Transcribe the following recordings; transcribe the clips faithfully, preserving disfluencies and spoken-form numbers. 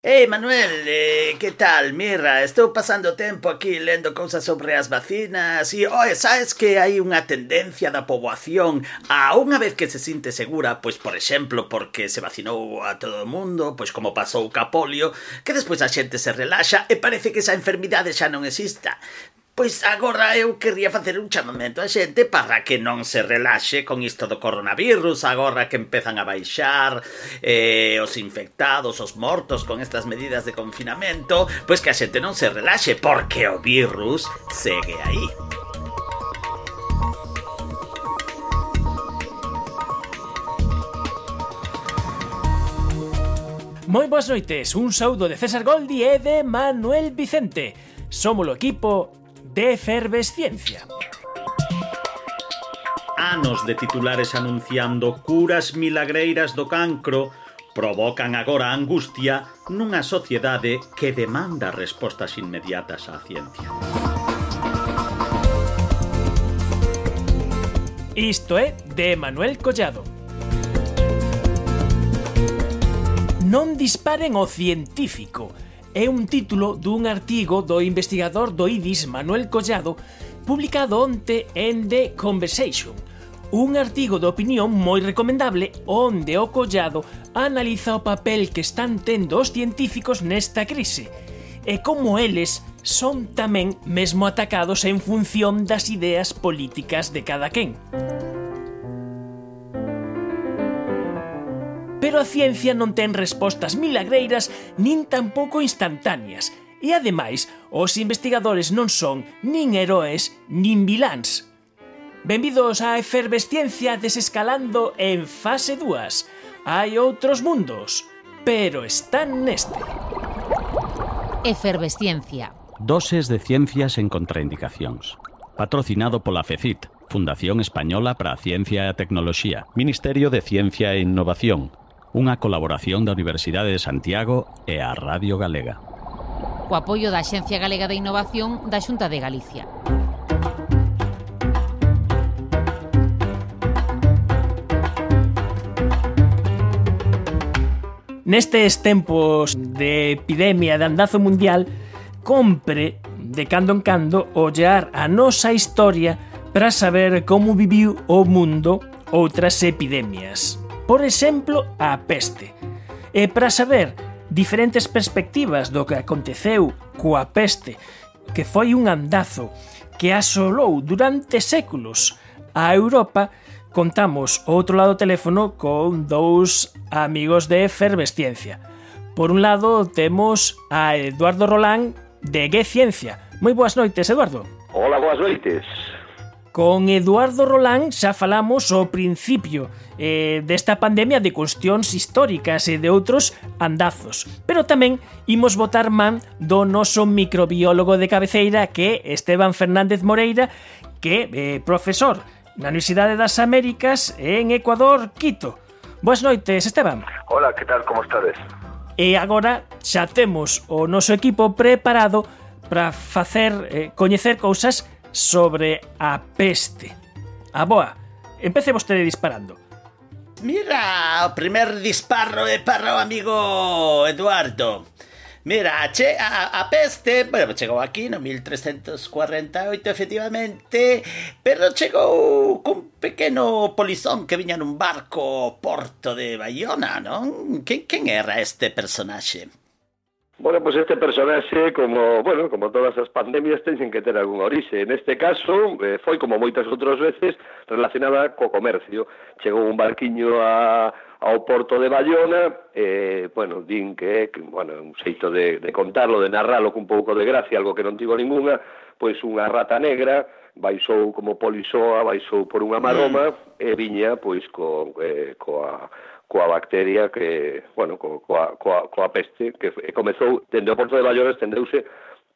Hey Manuel, eh, ¿qué tal? Mira, estou pasando tempo aquí lendo cousas sobre as vacinas e, oe, sabes que hai unha tendencia da poboación a unha vez que se sinte segura, pois, por exemplo, porque se vacinou a todo o mundo, pois como pasou ca polio, que despois a xente se relaxa e parece que esa enfermidade xa non exista. Pois agora eu querría facer un chamamento a xente para que non se relaxe con isto do coronavirus, agora que empezan a baixar eh, os infectados, os mortos con estas medidas de confinamento, pois que a xente non se relaxe, porque o virus segue aí. Moi boas noites, un saúdo de César Goldi e de Manuel Vicente. Somos o equipo de Efervesciencia. Anos de titulares anunciando curas milagreiras do cancro provocan agora angustia nunha sociedade que demanda respostas inmediatas á ciencia. Isto é de Manuel Collado. Non disparen o científico. É un título dun artigo do investigador do I D I S Manuel Collado publicado onte en The Conversation, un artigo de opinión moi recomendable onde o Collado analiza o papel que están tendo os científicos nesta crise e como eles son tamén mesmo atacados en función das ideas políticas de cada quen. Pero a ciencia non ten respostas milagreiras nin tampouco instantáneas. E ademais, os investigadores non son nin heroes nin viláns. Benvidos á Efervesciencia desescalando en fase dúas. Hai outros mundos, pero están neste. Efervesciencia. Doses de ciencias en contraindicacións. Patrocinado pola FECIT, Fundación Española para a Ciencia e a Tecnoloxía, Ministerio de Ciencia e Innovación, unha colaboración da Universidade de Santiago e a Radio Galega. O apoio da Axencia Galega de Innovación da Xunta de Galicia. Nestes tempos de epidemia de andazo mundial, compre, de cando en cando, ollar a nosa historia para saber como viviu o mundo outras epidemias. Por exemplo, a peste. E para saber diferentes perspectivas do que aconteceu coa peste, que foi un andazo que asolou durante séculos a Europa, contamos outro lado do teléfono con dous amigos de Efervesciencia. Por un lado temos a Eduardo Rolán de G Ciencia. Moi boas noites, Eduardo. Hola, boas noites. Con Eduardo Rolán xa falamos ao principio eh, desta pandemia de cuestións históricas e de outros andazos. Pero tamén imos botar man do noso microbiólogo de cabeceira, que é Esteban Fernández Moreira, que é eh, profesor na Universidade das Américas en Ecuador, Quito. Boas noites, Esteban. Hola, que tal, como estades? E agora xa temos o noso equipo preparado para facer eh, coñecer cousas sobre a peste. A boa, empece vostede disparando. Mira, o primer disparo é para o amigo Eduardo. Mira, che, a, a peste, bueno, chegou aquí no mil trescentos cuarenta e oito, efectivamente, pero chegou cun pequeno polizón que viña nun barco ao porto de Baiona, non? Quen, quen era este personaxe? Bueno, pues este personaxe, como, bueno, como todas as pandemias, teñen que ter algún orixe. Neste caso, eh, foi como moitas outras veces relacionada co comercio. Chegou un barquiño a, ao porto de Baiona, e, eh, bueno, din que, que bueno, un xeito de, de contarlo, de narralo con un pouco de gracia, algo que non tivo ninguna, pois unha rata negra baixou como polisoa, baixou por unha maroma, e viña, pois, co, eh, coa... coa bacteria que, bueno, coa, coa, coa peste, que comezou dende o porto de Baiona, estendeuse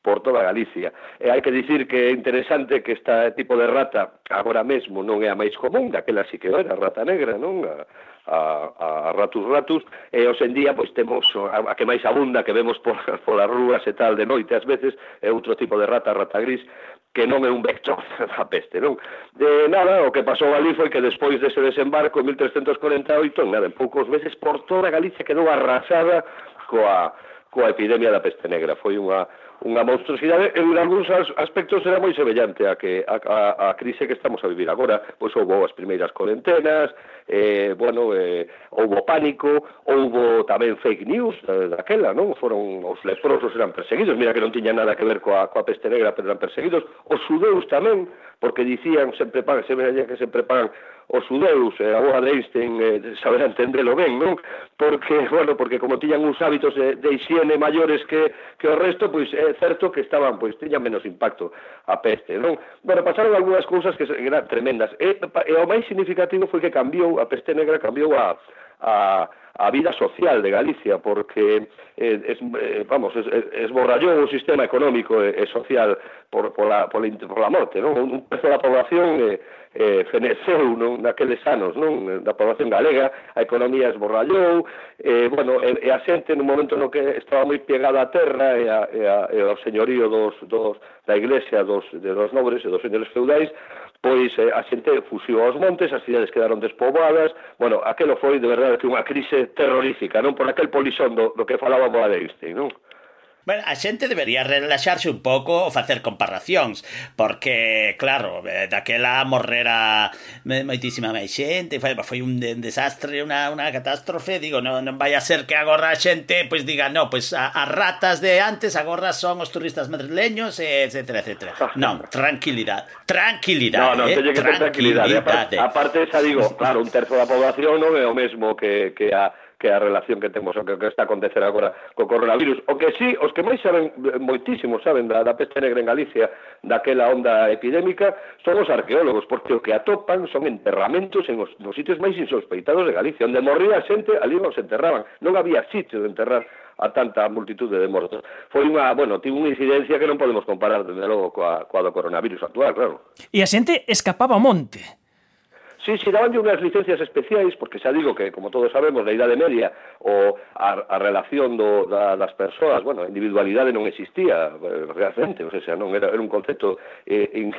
por toda Galicia. E hai que dicir que é interesante que este tipo de rata agora mesmo non é a máis común, daquela sí que era a rata negra, non? A, a, a ratus ratus, e hoxe en día pois temos a, a que máis abunda, que vemos por, por as rúas e tal de noite ás veces, é outro tipo de rata, rata gris, que non é un vector da peste, non? De nada, o que pasou ali foi que despois dese desembarco en mil trescentos cuarenta e oito, nada, en poucos meses por toda Galicia quedou arrasada coa coa epidemia da peste negra. Foi unha unha monstruosidade, en algúns aspectos era moi semellante a que a, a, a crise que estamos a vivir agora. Pois houve as primeiras cuarentenas, eh, bueno, eh, houve pánico, houve tamén fake news daquela, non? Foron, os leprosos eran perseguidos, mira que non tiña nada que ver coa, coa peste negra, pero eran perseguidos, os xudeus tamén, porque dicían, sempre pagan, sempre dicían que sempre pagan os xudeus, eh, a boa de Einstein eh, saber entendelo ben, non? Porque, bueno, porque como tiñan uns hábitos de, de higiene maiores que, que o resto, pois é certo que estaban, pois tiñan menos impacto a peste, non? Bueno, pasaron algunhas cousas que eran tremendas, e, e o máis significativo foi que cambiou, a peste negra cambiou a, a a vida social de Galicia, porque eh, es, eh, vamos, es, esborrallou o sistema económico e, e social por, por, la, por, la, por la morte, non? Un terzo da población eh, eh, feneceu non? Naqueles anos, non? Da población galega, a economía esborrallou, eh, bueno, e, e a xente nun momento no que estaba moi pegada á terra e, a, e, a, e ao señorío dos, dos, da iglesia, dos, de dos nobres e dos señores feudais, pois eh, a xente fuxiu aos montes, as cidades quedaron despoboadas, bueno, aquelo foi de verdade que unha crise terrorífica, non? Por aquel polixón do, do que falábamos a Einstein, non? Bueno, a xente debería relaxarse un pouco ou facer comparacións, porque, claro, daquela morrera moitísima máis xente, foi, foi un desastre, unha, unha catástrofe, digo, non, non vai a ser que agora a xente pois diga, no, pois a, as ratas de antes agora son os turistas madrileños, etcétera, etcétera. Non, tranquilidade, tranquilidade, no, no, eh, tranquilidade. Aparte, aparte xa digo, claro, un terzo da población non é o mesmo que, que a que a relación que temos, o que, que está a acontecer agora co coronavirus. O que sí, os que máis saben, moitísimo saben da, da peste negra en Galicia, daquela onda epidémica, son os arqueólogos, porque o que atopan son enterramentos en os, nos sitios máis insospeitados de Galicia, onde morría a xente, ali non se enterraban, non había sitio de enterrar a tanta multitude de mortos. Foi unha, bueno, tivo unha incidencia que non podemos comparar, desde logo, coa, coa do coronavirus actual, claro. E a xente escapaba ao monte. Sí, sí, daban unhas licencias especiais, porque xa digo que, como todos sabemos, na Idade Media o a, a relación do, da, das persoas, bueno, a individualidade non existía realmente, o sea, non era, era un concepto eh, in,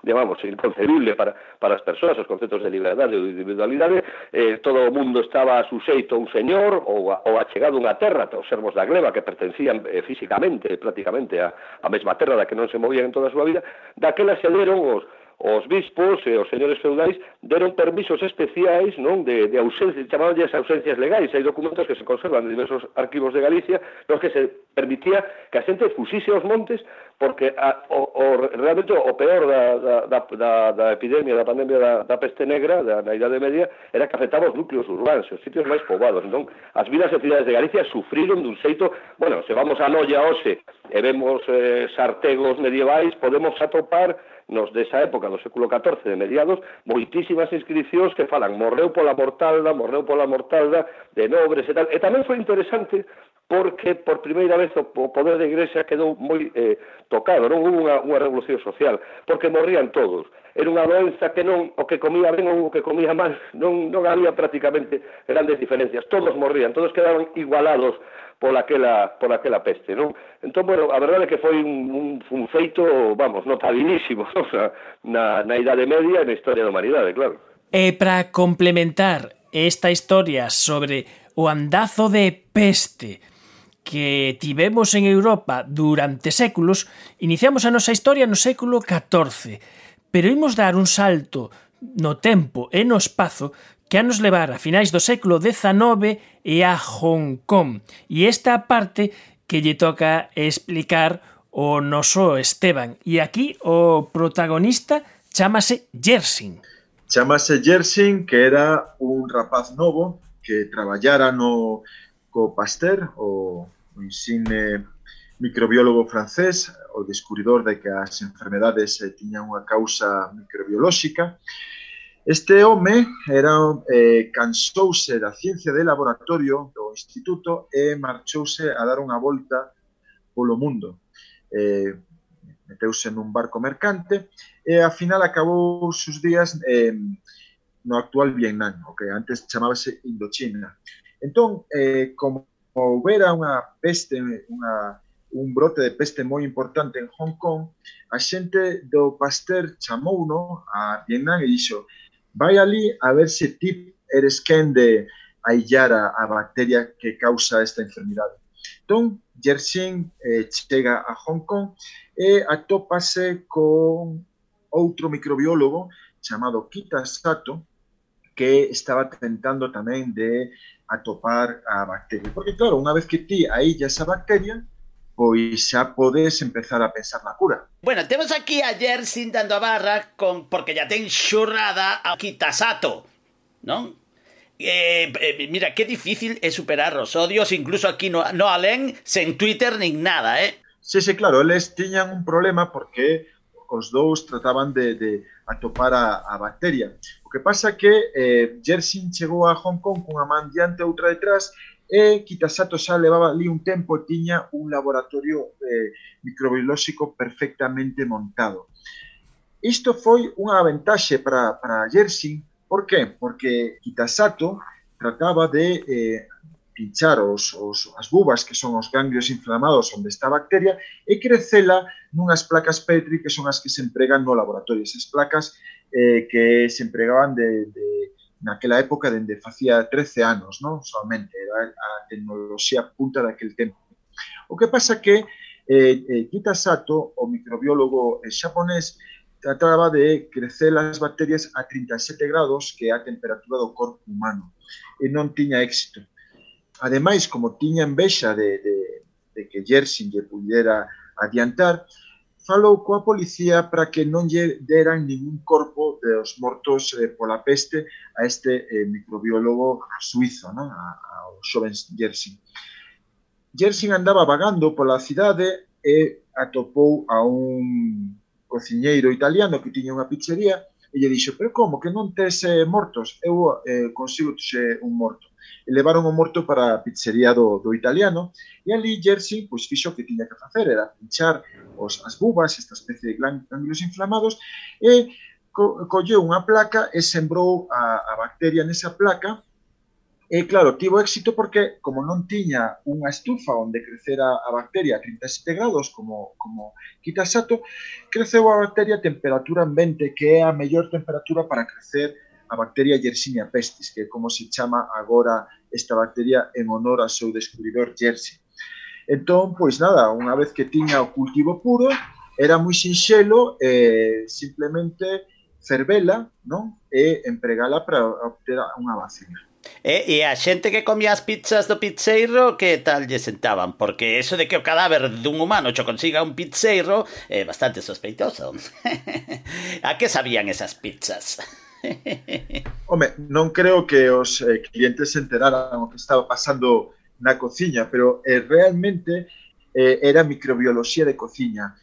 digamos, inconcebible para, para as persoas, os conceptos de liberdade ou de individualidade, eh, todo o mundo estaba suxeito a un señor ou, a, ou achegado a unha terra, os servos da gleba que pertencían eh, físicamente, prácticamente a, a mesma terra da que non se movían en toda a súa vida, daquela se deron os os bispos e os señores feudais deron permisos especiais, non, de, de ausencia, chamabanlles ausencias legais. Hai documentos que se conservan en diversos arquivos de Galicia nos que se permitía que a xente fuxise aos montes porque a, o, o, realmente o peor da, da, da, da, da epidemia, da pandemia da, da peste negra, da, da Idade Media, era que afectaba os núcleos urbanos, os sitios máis poboados. Entón, as vilas e cidades de Galicia sufriron dun xeito, bueno, se vamos a Noia hoxe e vemos eh, sartegos medievais, podemos atopar nos desa época do século catorce de mediados, moitísimas inscripcións que falan morreu pola mortalda, morreu pola mortalda de nobres e tal. E tamén foi interesante porque por primeira vez o poder da Igrexa quedou moi eh, tocado, non hubo unha, unha revolución social, porque morrían todos. Era unha doenza que non, o que comía ben ou o que comía mal, non, non había prácticamente grandes diferencias, todos morrían, todos quedaban igualados por aquela, por aquela peste, non? Entón, bueno, a verdade é que foi un, un, un feito, vamos, notabilísimo, o sea, na, na Idade Media e na historia da humanidade, claro. E para complementar esta historia sobre o andazo de peste que tivemos en Europa durante séculos, iniciamos a nosa historia no século catorce, pero imos dar un salto no tempo e no espazo que a nos levar a finais do século dezanove e a Hong Kong. E esta parte que lle toca explicar o noso Esteban. E aquí o protagonista chámase Yersin. Chámase Yersin, que era un rapaz novo que traballara no co Pasteur, o, o insigne microbiólogo francés, o descubridor de que as enfermedades eh, tiñan unha causa microbiolóxica. Este home era, eh, cansouse da ciencia de laboratorio do instituto e marchouse a dar unha volta polo mundo. Eh, meteuse nun barco mercante e, ao final, acabou os seus días eh, no actual Vietnam, o que antes chamábase Indochina. Entón, eh, como houbera unha peste, unha, un brote de peste moi importante en Hong Kong, a xente do Pasteur chamouno a Vietnam e dixo: vai ali a ver se ti eres quen de aillar a, a bacteria que causa esta enfermidade. Entón, Yersin eh, chega a Hong Kong e atópase con outro microbiólogo chamado Kita Sato, que estaba tentando tamén de atopar a bacteria. Porque, claro, unha vez que ti aíllas esa bacteria, pois xa podes empezar a pensar na cura. Bueno, temos aquí a Yersin dando a barra con porque ya ten xurrada a Kitasato, non? Eh, eh, mira, qué difícil é superar os odios, incluso aquí no, no alén, sen Twitter nin nada, eh? Sí, sí, claro, eles tiñan un problema porque os dous trataban de, de atopar a, a bacteria. O que pasa que eh, Yersin chegou a Hong Kong cunha man diante e outra detrás e Kitasato xa levaba ali un tempo e tiña un laboratorio eh, microbiolóxico perfectamente montado. Isto foi unha ventaxe para, para Yersin. Por qué? Porque Kitasato trataba de eh, pinchar os, os, as bubas, que son os ganglios inflamados onde está a bacteria, e crecela nunhas placas Petri que son as que se empregan no laboratorio. Esas placas eh, que se empregaban de, de, naquela época dende facía trece anos, non? Solamente era a tecnoloxía punta daquel tempo. O que pasa que eh, eh, Kitasato, o microbiólogo eh, xaponés, trataba de crecer as bacterias a trinta e sete grados, que é a temperatura do corpo humano, e non tiña éxito. Ademais, como tiña envexa de, de, de que Yersin lle pudera adiantar, falou coa policía para que non lle deran ningún corpo dos mortos eh, pola peste a este eh, microbiólogo suizo, non? A, ao xoven Yersin. Yersin andaba vagando pola cidade e atopou a un cociñeiro italiano que tiña unha pizzería e lle dixo, pero como, que non tes eh, mortos? Eu eh, consigo xe un morto. E levaron o morto para a pizzería do, do italiano e ali Yersin pois, fixo o que tiña que facer, era pinchar os, as bubas, esta especie de ganglios inflamados, e co, colleu unha placa e sembrou a, a bacteria nesa placa. E claro, tivo éxito porque, como non tiña unha estufa onde crecera a bacteria a trinta e sete grados, como, como Kitasato, creceu a bacteria a temperatura ambiente, que é a mellor temperatura para crecer a bacteria Yersinia pestis, que é como se chama agora esta bacteria en honor ao seu descubridor Yersin. Entón, pois nada, unha vez que tiña o cultivo puro, era moi sinxelo, eh, simplemente fervela, non? E empregala para obter unha vacina. E, e a xente que comía as pizzas do pizzeiro, que tal lle sentaban? Porque eso de que o cadáver dun humano cho consiga un pizzeiro é bastante sospeitoso. A que sabían esas pizzas? Home, non creo que os eh, clientes se enteraran o que estaba pasando na cociña, pero eh, realmente eh, era microbioloxía de cociña.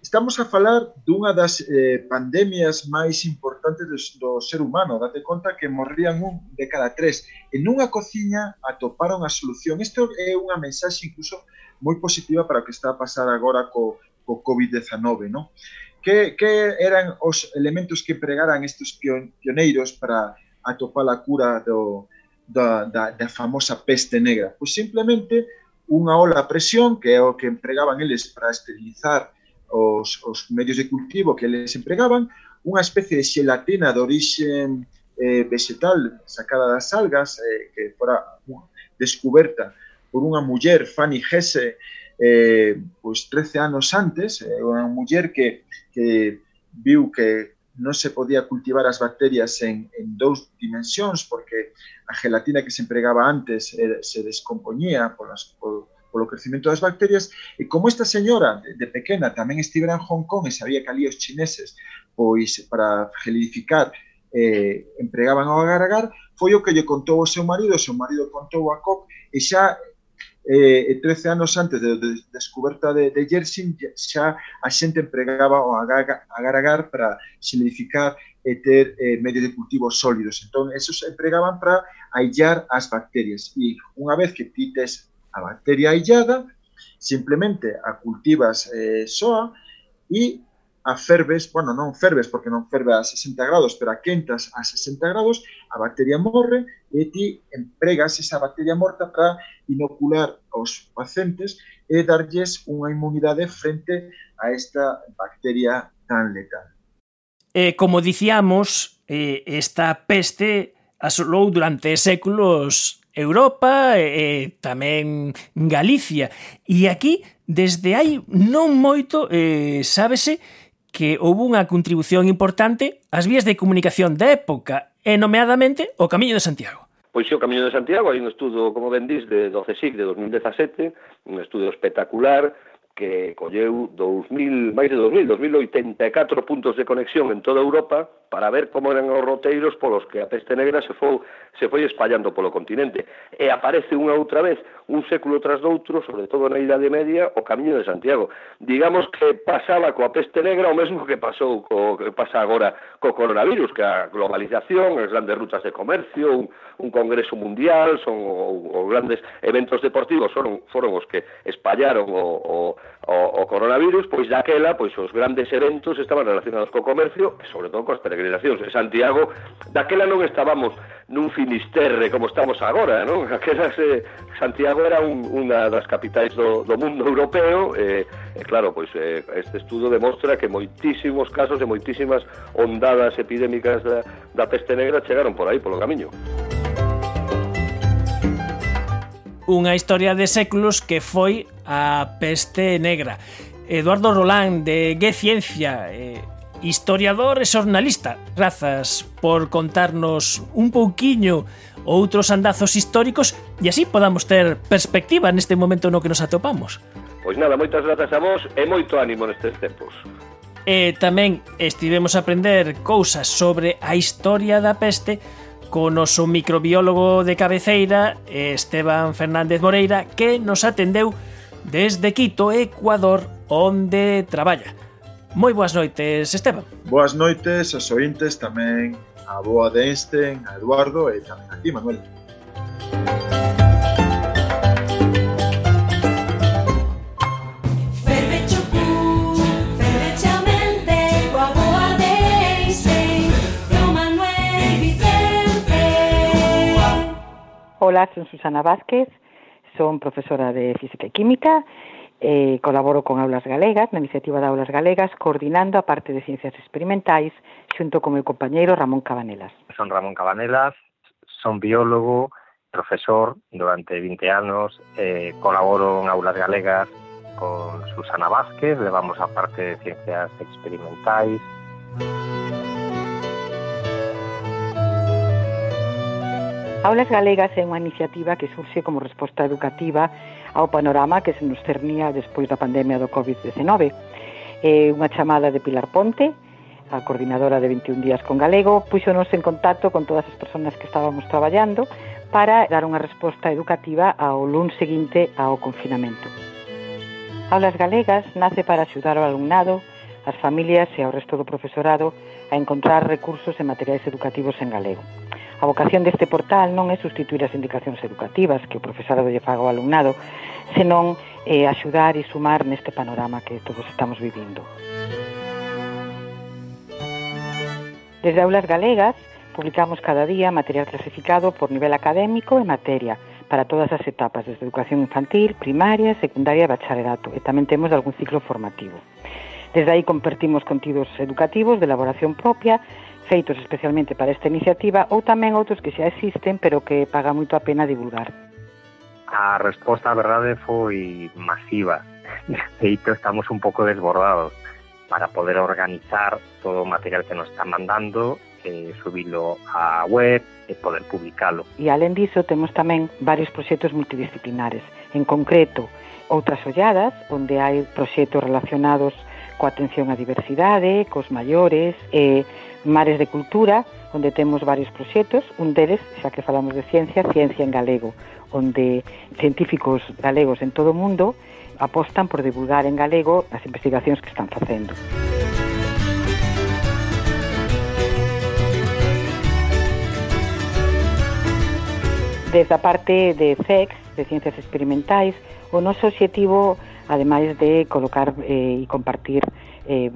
Estamos a falar dunha das eh, pandemias máis importantes do, do ser humano. Date conta que morrían un de cada tres. En unha cociña atoparon a solución. Isto é unha mensaxe incluso moi positiva para o que está a pasar agora co, co covid dezenove, non? Que, que eran os elementos que empregaran estes pioneiros para atopar a cura do, da, da, da famosa peste negra? Pois simplemente unha ola a presión, que é o que empregaban eles para esterilizar Os, os medios de cultivo que eles empregaban, unha especie de xelatina de orixe eh, vegetal sacada das algas, eh, que fora descoberta por unha muller, Fanny Hesse, eh, pois trece anos antes, eh, unha muller que, que viu que non se podía cultivar as bacterias en, en dous dimensións, porque a gelatina que se empregaba antes eh, se descompoñía por las, por, polo crecimento das bacterias, e como esta señora de, de pequena tamén estivera en Hong Kong e sabía que ali os chineses, pois para gelidificar eh, empregaban ao agar-agar, foi o que lle contou o seu marido, o seu marido contou a Koch, e xa eh, trece anos antes da de, de descoberta de, de Yersin, xa a xente empregaba o agar-agar para gelidificar e ter eh, medios de cultivo sólidos. Entón, esos empregaban para aillar as bacterias. E unha vez que ti tes a bacteria aillada, simplemente a cultivas eh, soa e a ferves, bueno, non ferves porque non ferve a sesenta grados, pero a quentas a sesenta grados, a bacteria morre e ti empregas esa bacteria morta para inocular aos pacientes e darlles unha inmunidade frente a esta bacteria tan letal. Eh, como dicíamos, eh, esta peste asolou durante séculos Europa e, e tamén Galicia. E aquí, desde hai non moito, eh, sábese que houve unha contribución importante ás vías de comunicación da época, e nomeadamente o Camiño de Santiago. Pois o Camiño de Santiago, hai un estudo, como ben dís, de, do CSIC de dos mil dezasete, un estudo espectacular, que colleu dos mil, máis de dos mil, dos mil oitenta e catro puntos de conexión en toda Europa para ver como eran os roteiros polos que a peste negra se foi, se foi espallando polo continente. E aparece unha outra vez, un século tras doutro, sobre todo na Idade Media, o Camiño de Santiago. Digamos que pasaba coa peste negra o mesmo que pasou co, que pasa agora co coronavirus, que a globalización, as grandes rutas de comercio, un, un congreso mundial, son os grandes eventos deportivos foron, foron os que espallaron o, o O, o coronavirus, pois daquela, pois os grandes eventos estaban relacionados co comercio e sobre todo coas peregrinacións. En Santiago, daquela non estábamos nun finisterre como estamos agora, non? Aquela se, Santiago era un, unha das capitais do, do mundo europeo e, e claro, pois eh, este estudo demostra que moitísimos casos e moitísimas ondadas epidémicas da, da peste negra chegaron por aí, polo camiño. Unha historia de séculos que foi a peste negra. Eduardo Rolán, de G Ciencia, eh, historiador e xornalista, grazas por contarnos un pouquiño outros andazos históricos e así podamos ter perspectiva neste momento no que nos atopamos. Pois nada, moitas grazas a vos e moito ánimo nestes tempos. E tamén estivemos a aprender cousas sobre a historia da peste co noso microbiólogo de cabeceira, Esteban Fernández Moreira, que nos atendeu desde Quito, Ecuador, onde traballa. Moi boas noites, Esteban. Boas noites aos ointes, tamén a boa de Einstein, a Eduardo e tamén a ti, Manuel. Hola, son Susana Vázquez, son profesora de Física e Química, eh, colaboro con Aulas Galegas, na iniciativa de Aulas Galegas, coordinando a parte de Ciencias Experimentais, xunto con meu compañeiro Ramón Cabanelas. Son Ramón Cabanelas, son biólogo, profesor durante vinte anos, eh, colaboro en Aulas Galegas con Susana Vázquez, levamos a parte de Ciencias Experimentais. Aulas Galegas é unha iniciativa que surxe como resposta educativa ao panorama que se nos cernía despois da pandemia do covid diecinueve. É unha chamada de Pilar Ponte, a coordinadora de vinte e un días con galego, puxonos en contacto con todas as persoas que estábamos traballando para dar unha resposta educativa ao luns seguinte ao confinamento. Aulas Galegas nace para axudar ao alumnado, as familias e ao resto do profesorado a encontrar recursos e materiais educativos en galego. A vocación deste portal non é sustituir as indicacións educativas que o profesorado lle faga ao alumnado, senón eh, axudar e sumar neste panorama que todos estamos vivindo. Desde Aulas Galegas publicamos cada día material clasificado por nivel académico e materia para todas as etapas, desde educación infantil, primaria, secundaria e bacharelato, e tamén temos algún ciclo formativo. Desde aí compartimos contidos educativos de elaboración propia, feitos especialmente para esta iniciativa, ou tamén outros que xa existen, pero que paga moito a pena divulgar. A resposta, a verdade, foi masiva. De feito, estamos un pouco desbordados para poder organizar todo o material que nos está mandando, eh, subilo á web e poder publicalo. E, alén diso, temos tamén varios proxectos multidisciplinares. En concreto, outras olladas, onde hai proxectos relacionados coa atención á diversidade, cos maiores, e Mares de Cultura, onde temos varios proxectos, un deles, xa que falamos de ciencia, Ciencia en Galego, onde científicos galegos en todo o mundo apostan por divulgar en galego as investigacións que están facendo. Desde a parte de C E X, de Ciencias Experimentais, o noso obxectivo, ademais de colocar eh, e compartir eh,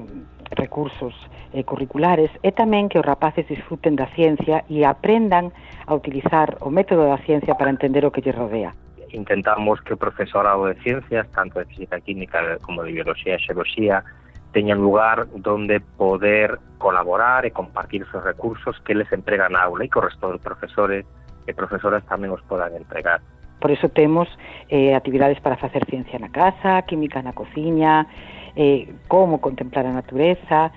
recursos eh, curriculares, é tamén que os rapaces disfruten da ciencia e aprendan a utilizar o método da ciencia para entender o que lles rodea. Intentamos que o profesorado de ciencias, tanto de física química como de biología e xeoloxía, teñan lugar donde poder colaborar e compartir esos recursos que les empregan na aula e co resto dos profesores e profesoras tamén os podan empregar. Por iso temos eh, actividades para facer ciencia na casa, química na cociña, eh, como contemplar a natureza,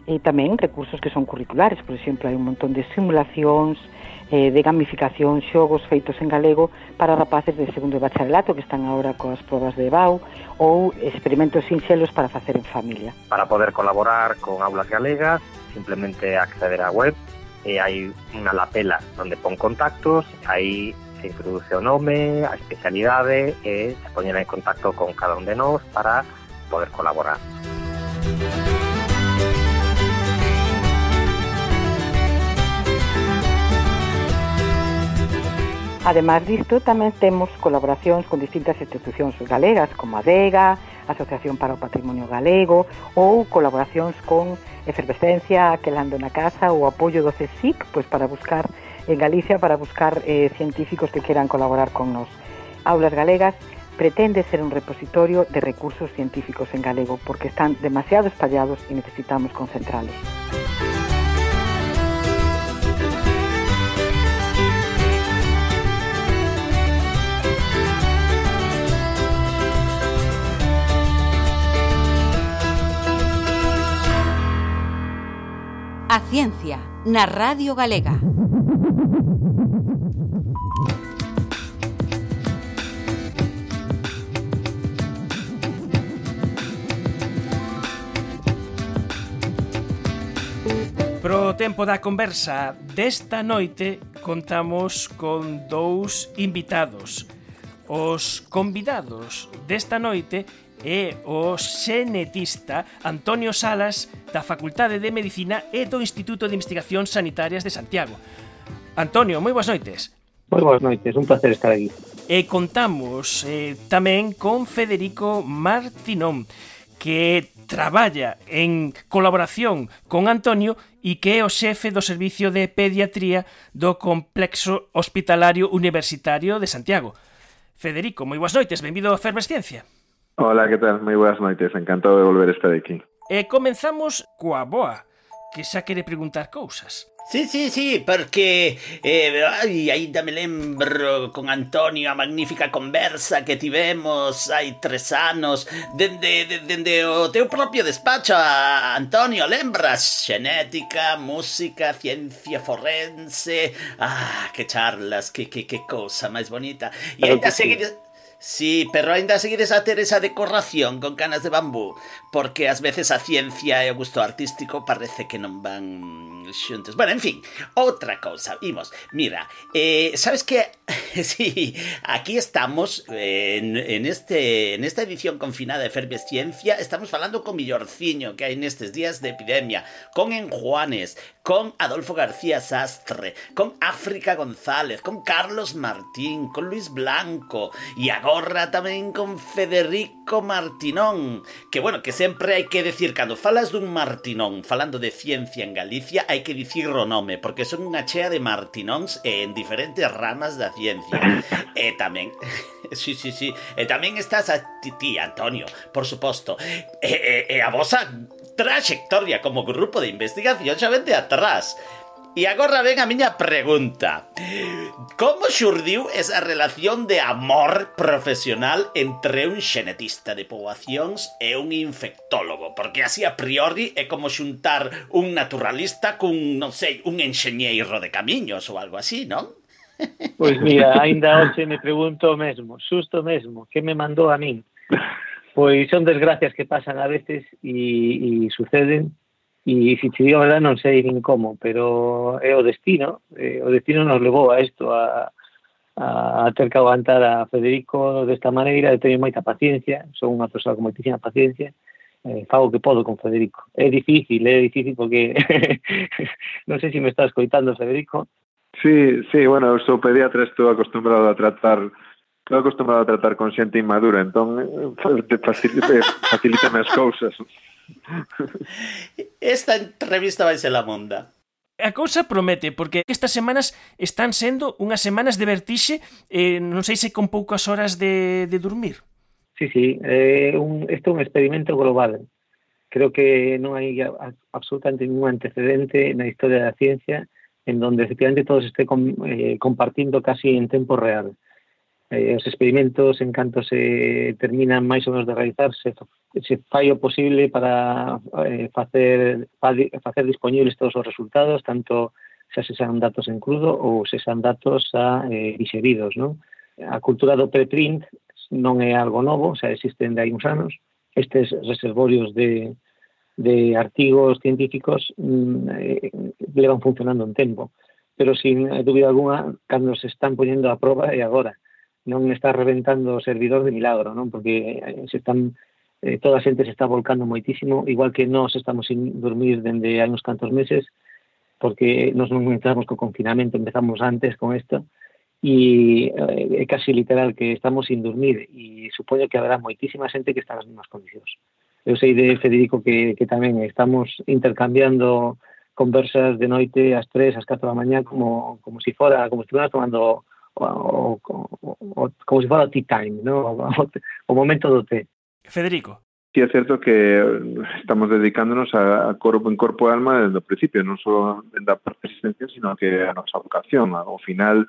e tamén recursos que son curriculares. Por exemplo, hai un montón de simulacións, eh, de gamificación, xogos feitos en galego para rapaces de segundo de bacharelato que están agora coas probas de E B A U, ou experimentos sinxelos para facer en familia. Para poder colaborar con Aulas Galegas, simplemente acceder á web, e hai unha lapela onde pon contactos, aí se introduce o nome, a especialidade e se poñen en contacto con cada un de nós para poder colaborar. Ademais disto, tamén temos colaboracións con distintas institucións galegas, como a Adega, a Asociación para o Patrimonio Galego, ou colaboracións con Efervescencia, Quelando na Casa, ou apoio do C S I C, pois para buscar en Galicia, para buscar eh, científicos que queran colaborar con nós. Aulas Galegas pretende ser un repositorio de recursos científicos en galego, porque están demasiado espallados e necesitamos concentralos. A ciencia na Radio Galega. Pro tempo da conversa desta noite contamos con dous invitados. Os convidados desta noite é o xenetista Antonio Salas da Facultade de Medicina e do Instituto de Investigacións Sanitarias de Santiago. Antonio, moi boas noites. Moi boas noites, un placer estar aquí. E contamos eh, tamén con Federico Martinón, que traballa en colaboración con Antonio e que é o xefe do Servicio de Pediatría do Complexo Hospitalario Universitario de Santiago. Federico, moi boas noites, benvido a Efervesciencia. Hola, que tal? Moi boas noites, encantado de volver a estar aquí. E comenzamos coa boa, que xa quere preguntar cousas. Sí, sí, sí, porque eh, ai, ainda me lembro con Antonio a magnífica conversa que tivemos hai tres anos dende, de, dende o teu propio despacho, a Antonio, lembras? Xenética, música, ciencia forense. Ah, que charlas, que, que, que cousa máis bonita. E ainda seguides... Sí, pero ainda seguides a ter esa decoración con canas de bambú, porque ás veces a ciencia e o gusto artístico parece que non van xuntos. Bueno, en fin, outra cousa, imos. Mira, eh, sabes que sí, aquí estamos eh, en, en este en esta edición confinada de Efervesciencia, estamos falando con millorciño que hai nestes días de epidemia, con Enjuanes, con Adolfo García Sastre, con África González, con Carlos Martín, con Luis Blanco e agora tamén con Federico Martinón, que bueno, que sempre hai que decir, cando falas dun Martinón falando de ciencia en Galicia, hai que dicir o nome, porque son unha chea de Martinóns en diferentes ramas da ciencia. E tamén, sí, sí, sí, e tamén estás a ti, ti Antonio, por suposto, e, e, e a vosa traxectoria como grupo de investigación xa vende atrás. E agora ven a miña pregunta. Como xurdiu esa relación de amor profesional entre un xenetista de poboacións e un infectólogo? Porque así a priori é como xuntar un naturalista cun, non sei, un enxeñeiro de camiños ou algo así, non? Pois mira, ainda hoxe me pregunto o mesmo, xusto mesmo, que me mandou a min? Pois son desgracias que pasan a veces e, e suceden. E se te digo a verdade non sei nin como, pero é o destino, eh, o destino nos levou a isto, a, a ter que aguantar a Federico desta maneira, de tener moita paciencia, son unha persoa con moitísima paciencia, eh, fago que podo con Federico. É difícil, é difícil porque non sei se me está escoitando, Federico. Sí, sí, bueno, eu sou pediatra, estou acostumbrado a tratar estou acostumbrado a tratar con xente inmadura, entón facilítame as cousas. Esta entrevista vai ser la monda. A cousa promete, porque estas semanas están sendo unhas semanas de vertixe, eh, non sei se con poucas horas de, de dormir. Sí, sí, eh, un, este é un experimento global. Creo que non hai absolutamente ningún antecedente na historia da ciencia en donde efectivamente todo se esté com, eh, compartindo casi en tempo real. Eh, os experimentos, en canto se terminan máis ou menos de realizarse, se fai o posible para eh, facer, facer disponibles todos os resultados, tanto xa se sean datos en crudo ou se sean datos xa eh, dixeridos, non? A cultura do preprint non é algo novo, xa existen de hai uns anos. Estes reservorios de, de artigos científicos mm, eh, levan funcionando un tempo, pero sin dúbida alguna, cando se están poñendo a prova é agora. Non está reventando o servidor de milagro, non? Porque se están, eh, toda a xente se está volcando moitísimo, igual que nós estamos sin dormir dende hai uns cantos meses, porque nos non entramos co confinamento, empezamos antes con isto, e é eh, casi literal que estamos sin dormir, e supoño que haberá moitísima xente que está nas mesmas condicións. Eu sei de Federico que, que tamén estamos intercambiando conversas de noite ás tres, ás catro da mañá, como, como si fora, como se estuvera tomando o, o, o, como si fora o tea time, ¿no? o, o momento do té. Federico. Sí, é certo que estamos dedicándonos a, a corpo en corpo e alma desde o principio, non só da parte asistencial, sino que a nosa vocación. Ao final,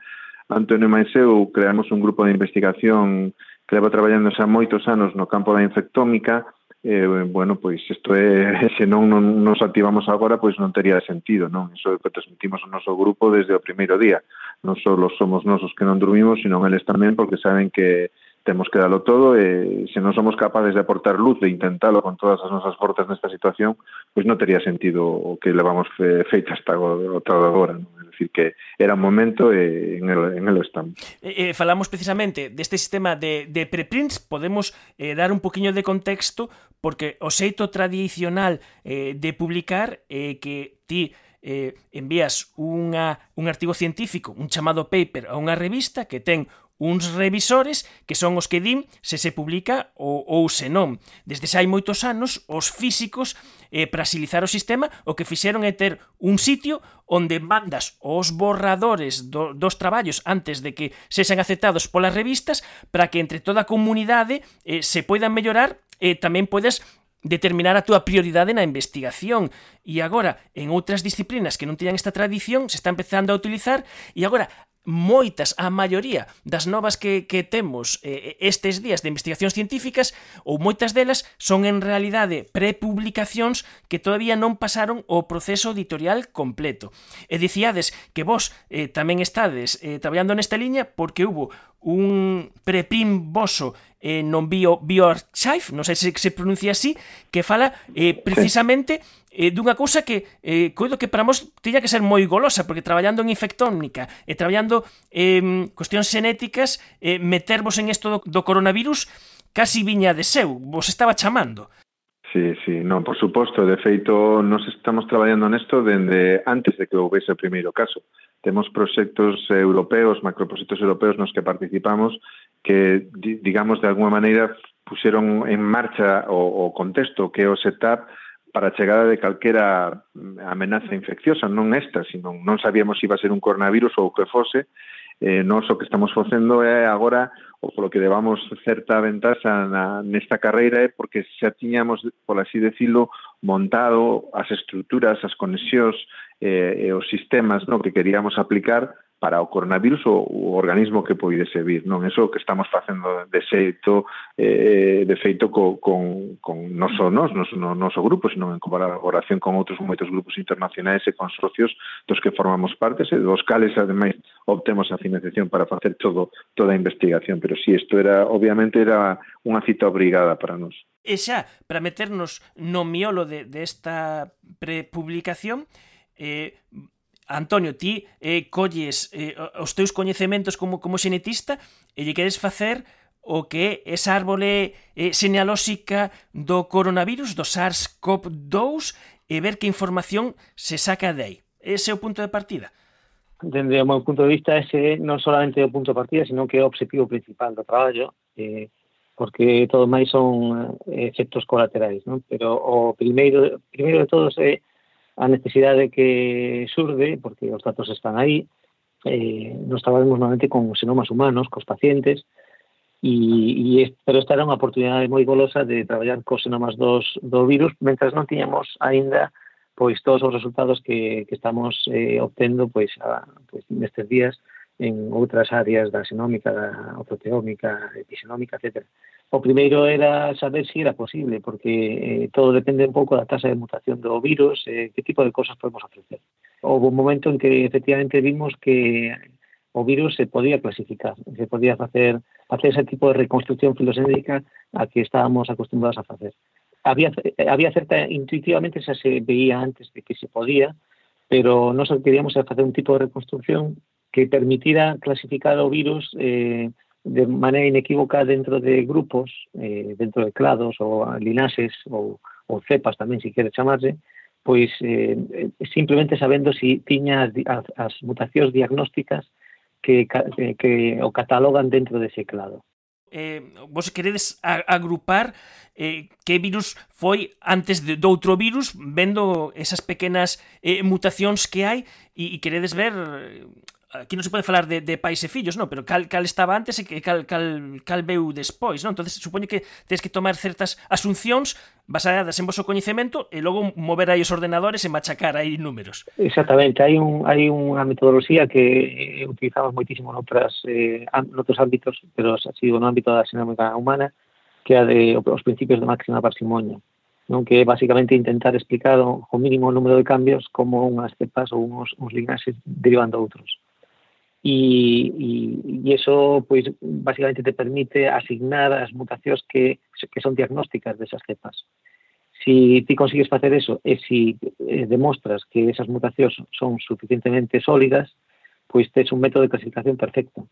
Antonio e máis eu creamos un grupo de investigación que leva traballando xa moitos anos no campo da infectómica. Eh, bueno, pois isto é, se non, non nos activamos agora, pois non tería sentido, non? Iso é o que transmitimos ao noso grupo desde o primeiro día. Non só somos nosos que non dormimos, sino eles tamén, porque saben que temos que dalo todo, e se non somos capaces de aportar luz, de intentalo con todas as nosas forzas nesta situación, pois non tería sentido o que levamos fe, feito hasta o todo agora, non? É dicir, que era un momento e en el, en el estamos. Eh, eh, falamos precisamente deste sistema de, de preprints, podemos eh, dar un poquinho de contexto, porque o xeito tradicional eh, de publicar é eh, que ti eh, envías unha, un artigo científico, un chamado paper, a unha revista que ten uns revisores que son os que din se se publica ou, ou se non. Desde xa hai moitos anos, os físicos, eh, para axilizar o sistema, o que fixeron é ter un sitio onde mandas os borradores do, dos traballos antes de que sexan aceptados polas revistas, para que entre toda a comunidade eh, se poidan mellorar e eh, tamén podes determinar a túa prioridade na investigación. E agora, en outras disciplinas que non teñan esta tradición, se está empezando a utilizar, e agora moitas, a maioría das novas que, que temos eh, estes días de investigacións científicas, ou moitas delas son en realidade prepublicacións que todavía non pasaron o proceso editorial completo. E dicíades que vos eh, tamén estades eh, traballando nesta liña porque hubo un preprint voso eh, non bio, bioarchive, non sei se se pronuncia así, que fala eh, precisamente eh, dunha cousa que eh, coido que para nós tiña que ser moi golosa, porque traballando en infectónica e traballando en eh, cuestións xenéticas, eh, metervos en isto do, do coronavirus casi viña de seu, vos estaba chamando. Sí, sí, non, por suposto, de feito nos estamos traballando nesto dende antes de que houvese o primeiro caso. Temos proxectos europeos, macroproxectos europeos nos que participamos que, digamos, de alguma maneira puxeron en marcha o, o contexto que é o setup para a chegada de calquera amenaza infecciosa, non esta, sino non sabíamos se iba a ser un coronavirus ou o que fose. Eh, nós o que estamos facendo é agora, ou polo que levamos certa ventaxa na, nesta carreira, é porque xa tiñamos, por así decirlo, montado as estruturas, as conexións eh, e os sistemas, no, que queríamos aplicar para o coronavirus ou o organismo que poidese vir, non? Eso que estamos facendo de xeito, eh, de feito co, con, con non só nos, nos, no noso grupo, sino en colaboración con outros moitos grupos internacionais e consorcios dos que formamos partes e dos cales, ademais, obtemos a financiación para facer todo toda a investigación, pero si, sí, isto era, obviamente, era unha cita obrigada para nós. E xa, para meternos no miolo de, de esta prepublicación, eh, Antonio, ti eh, colles eh, os teus coñecementos como, como xenetista e lle queres facer o que é esa árbole eh, xenealóxica do coronavirus, do SARS-CoV dous, e ver que información se saca de aí. Ese é o punto de partida? Dende o meu punto de vista, ese non solamente é o punto de partida, sino que é o objetivo principal do traballo, eh, porque todo máis son eh, efectos colaterais, non? Pero o primeiro, primeiro de todos é a necesidade que surde, porque os datos están aí, eh, nos traballamos normalmente con xenomas humanos, cos pacientes, e, e, pero esta era unha oportunidade moi golosa de traballar cos xenomas dos, do virus, mentras non tiñamos aínda pois todos os resultados que, que estamos eh, obtendo pois, a, pois nestes días en outras áreas da xenómica, da proteómica, epixenómica, etcétera. O primeiro era saber se era posible, porque eh, todo depende un pouco da tasa de mutación do virus, eh, que tipo de cosas podemos ofrecer. Houve un momento en que efectivamente vimos que o virus se podía clasificar, se podía facer, facer ese tipo de reconstrucción filoxénica a que estábamos acostumbrados a facer. Había, había certa, intuitivamente xa se veía antes de que se podía, pero nós queríamos facer un tipo de reconstrucción que permitira clasificar o virus eh, de maneira inequívoca dentro de grupos, eh, dentro de clados ou linaxes ou, ou cepas tamén, se quere chamarse, pois eh, simplemente sabendo si tiña as, as mutacións diagnósticas que, que, que o catalogan dentro dese clado. Eh, vos queredes a, agrupar eh, que virus foi antes de, de outro virus, vendo esas pequenas eh, mutacións que hai, e, e queredes ver... Aquí non se pode falar de, de pais e fillos, non, pero cal, cal estaba antes e cal, cal, cal veu despois, non? Entonces supoño que tens que tomar certas asuncións basadas en vosso coñecemento e logo mover aí os ordenadores e machacar aí números. Exactamente, hai un hai unha metodoloxía que utilizamos moitísimo noutras eh, noutros ámbitos, pero ha sido no ámbito da xenómica humana, que é de os principios de máxima parsimonia, non, que é basicamente intentar explicar o, o mínimo número de cambios como unhas cepas ou uns, uns linaxes derivan de outros. E, e, e eso, pois, basicamente te permite asignar as mutacións que, que son diagnósticas desas cepas. Si ti consigues facer eso e si eh, demostras que esas mutacións son suficientemente sólidas, pois tes un método de clasificación perfecto.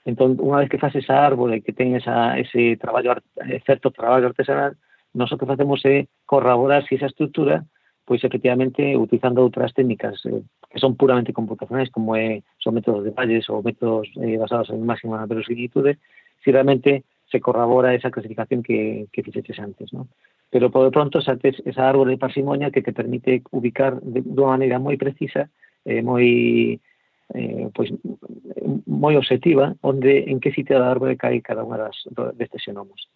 Entón, unha vez que faz esa árbore que ten esa, ese traballo, certo traballo artesanal, nós o que facemos é corroborar si esa estructura, pois efectivamente utilizando outras técnicas eh, que son puramente computacionais, como é, son métodos de Bayes ou métodos eh, basados en máxima verosimilitude, si realmente se corrobora esa clasificación que, que fixeches antes, ¿no? Pero por de pronto saltes esa árbore de parsimonia que te permite ubicar de, de unha maneira moi precisa, eh, moi eh, pois moi objetiva, onde en que sitio da árbore cae cada unha das, destes xenomos.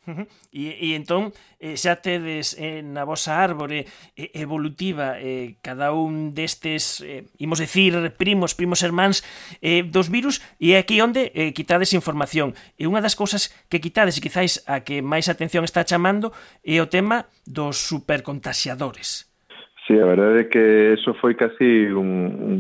Uh-huh. E, e entón eh, xa tedes eh, na vosa árbore eh, evolutiva eh, cada un destes, eh, imos decir, primos, primos hermáns eh, dos virus, e é aquí onde eh, quitades información. E unha das cousas que quitades, e quizáis a que máis atención está chamando, é o tema dos supercontaxiadores. Sí, a verdade é que eso foi casi un, un,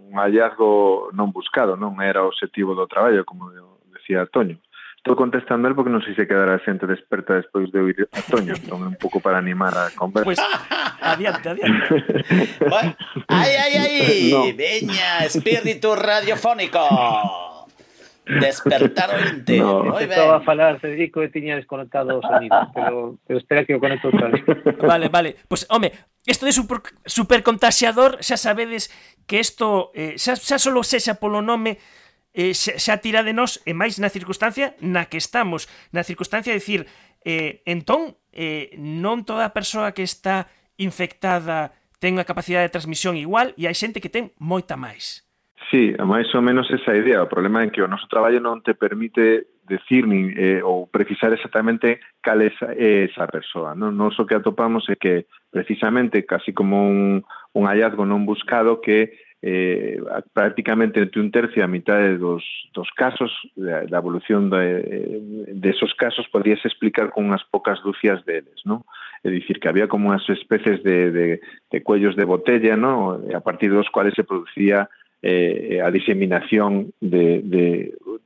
un hallazgo non buscado, non era o objetivo do traballo, como decía Toño. Estou contestando el porque non sei se quedará a xente desperta despois de oír a Toño, entón é un pouco para animar a conversa. Pois, pues, adiante, adiante. Bueno, ai, ai, ai, no. Veña, espírito radiofónico. Despertar o inte. No. Estaba a falar, Federico, e tiña desconectado o sonido, pero, pero espera que o conecto outra vez. Vale, vale. Pois, pues, home, isto de super, supercontaxiador, xa sabedes que isto, eh, xa, xa solo sexa polo nome, eh, xa, xa tira de nós, e máis na circunstancia na que estamos, na circunstancia de dicir, eh, entón, eh, non toda persoa que está infectada ten unha capacidade de transmisión igual, e hai xente que ten moita máis. Sí, máis ou menos esa idea. O problema é que o noso traballo non te permite decir ni, eh, ou precisar exactamente cal é esa, esa persoa. Non? Nos o que atopamos é que precisamente casi como un, un hallazgo non buscado que eh, prácticamente entre un tercio e a mitad dos, dos casos, da, da evolución de, de esos casos podíase explicar con unhas pocas dúcias deles, non? É dicir, que había como unhas especies de, de, de cuellos de botella, non? A partir dos cuales se producía eh, a diseminación de, de,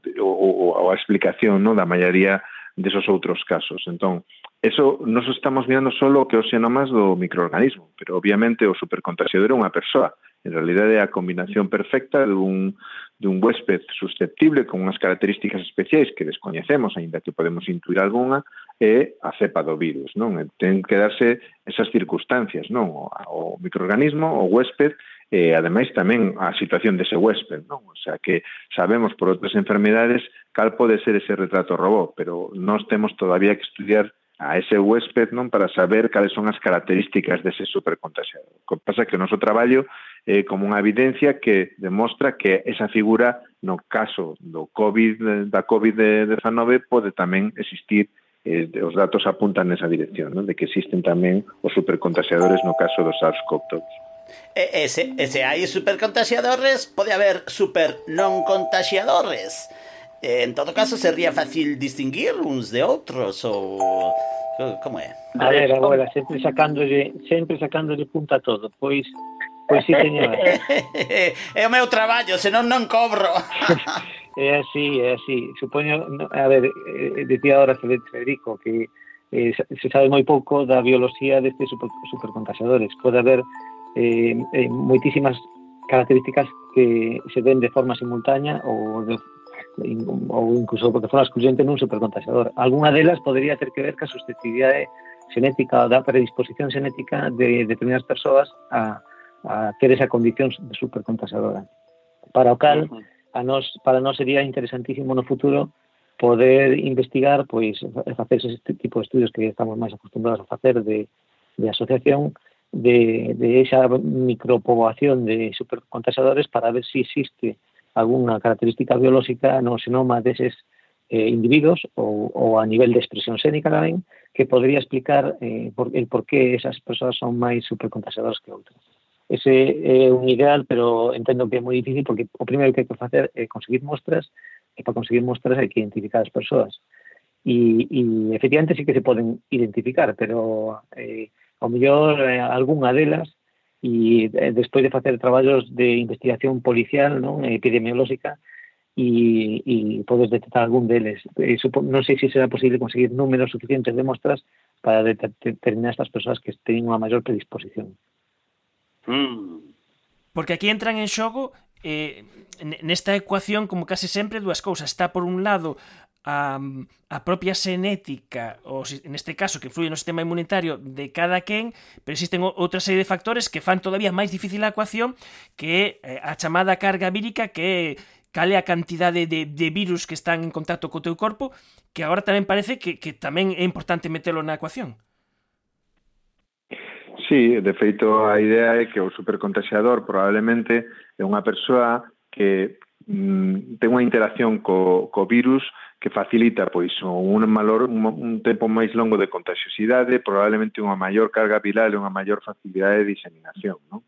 de, ou, ou a explicación, non? Da maioría desos outros casos. Entón, eso nos estamos mirando solo que os xenomas do microorganismo, pero obviamente o supercontaxiador é unha persoa. En realidade é a combinación perfecta dun, dun huésped susceptible con unhas características especiais que descoñecemos, aínda que podemos intuir algunha, é a cepa do virus, non? Ten que darse esas circunstancias, non? O, o microorganismo, o huésped, e ademais tamén a situación dese huésped, non? O sea que sabemos por outras enfermedades cal pode ser ese retrato robot, pero nós temos todavía que estudiar a ese huésped, non, para saber cales son as características dese supercontaxiador. O que pasa que o noso traballo é como unha evidencia que demostra que esa figura, no caso do COVID, da COVID diecinueve, pode tamén existir eh, os datos apuntan nesa dirección, non? De que existen tamén os supercontaxiadores no caso do SARS-CoV dous. E, ese, ese hai supercontaxiadores, pode haber super non contaxiadores. En todo caso, sería fácil distinguir uns de outros ou como é? A ver, agora, sempre sacándolle, sempre sacándolle punta a todo, pois pois si, señor. É o meu traballo, senón non cobro. É así, é así. Supoño, a ver, eh, decía ahora Federico que eh, se sabe moi pouco da biología destes super, supercontaxiadores. Pode haber eh, eh, moitísimas características que se ven de forma simultánea ou, de, ou incluso de forma excluyente nun supercontaxiador. Alguna delas podría ter que ver ca susceptibilidade xenética ou da predisposición xenética de determinadas persoas a, a ter esa condición de supercontaxiadora. Para o cal, a nos, para nós sería interesantísimo no futuro poder investigar, pois, facer ese tipo de estudios que estamos máis acostumbrados a facer de, de asociación de, de esa micropoboación de supercontaxiadores para ver se si existe alguna característica biolóxica no xenoma deses eh, individuos ou, ou a nivel de expresión xénica tamén que podría explicar eh, por, el por qué esas persoas son máis supercontaxiadoras que outras. Ese é un ideal, pero entendo que é moi difícil porque o primeiro que hai que facer é conseguir mostras e para conseguir mostras hai que identificar as persoas. E, e efectivamente sí que se poden identificar, pero eh, ao mellor eh, algunha delas e eh, despois de facer traballos de investigación policial, non, epidemiolóxica e, e podes detectar algún deles. Eh, supo, non sei se será posible conseguir números suficientes de mostras para determinar estas persoas que teñen unha maior predisposición. Porque aquí entran en xogo eh, nesta ecuación como case sempre dúas cousas. Está por un lado a, a propia xenética, ou neste caso que influye no sistema inmunitario de cada quen, pero existen outra serie de factores que fan todavía máis difícil a ecuación, que é a chamada carga vírica, que é cal é a cantidade de, de virus que están en contacto co teu corpo, que agora tamén parece que, que tamén é importante metelo na ecuación. Sí, de feito a idea é que o supercontaxiador probablemente é unha persoa que mm, ten unha interacción co, co virus que facilita pois un valor un, un tempo máis longo de contagiosidade, probablemente unha maior carga viral e unha maior facilidade de diseminación, non?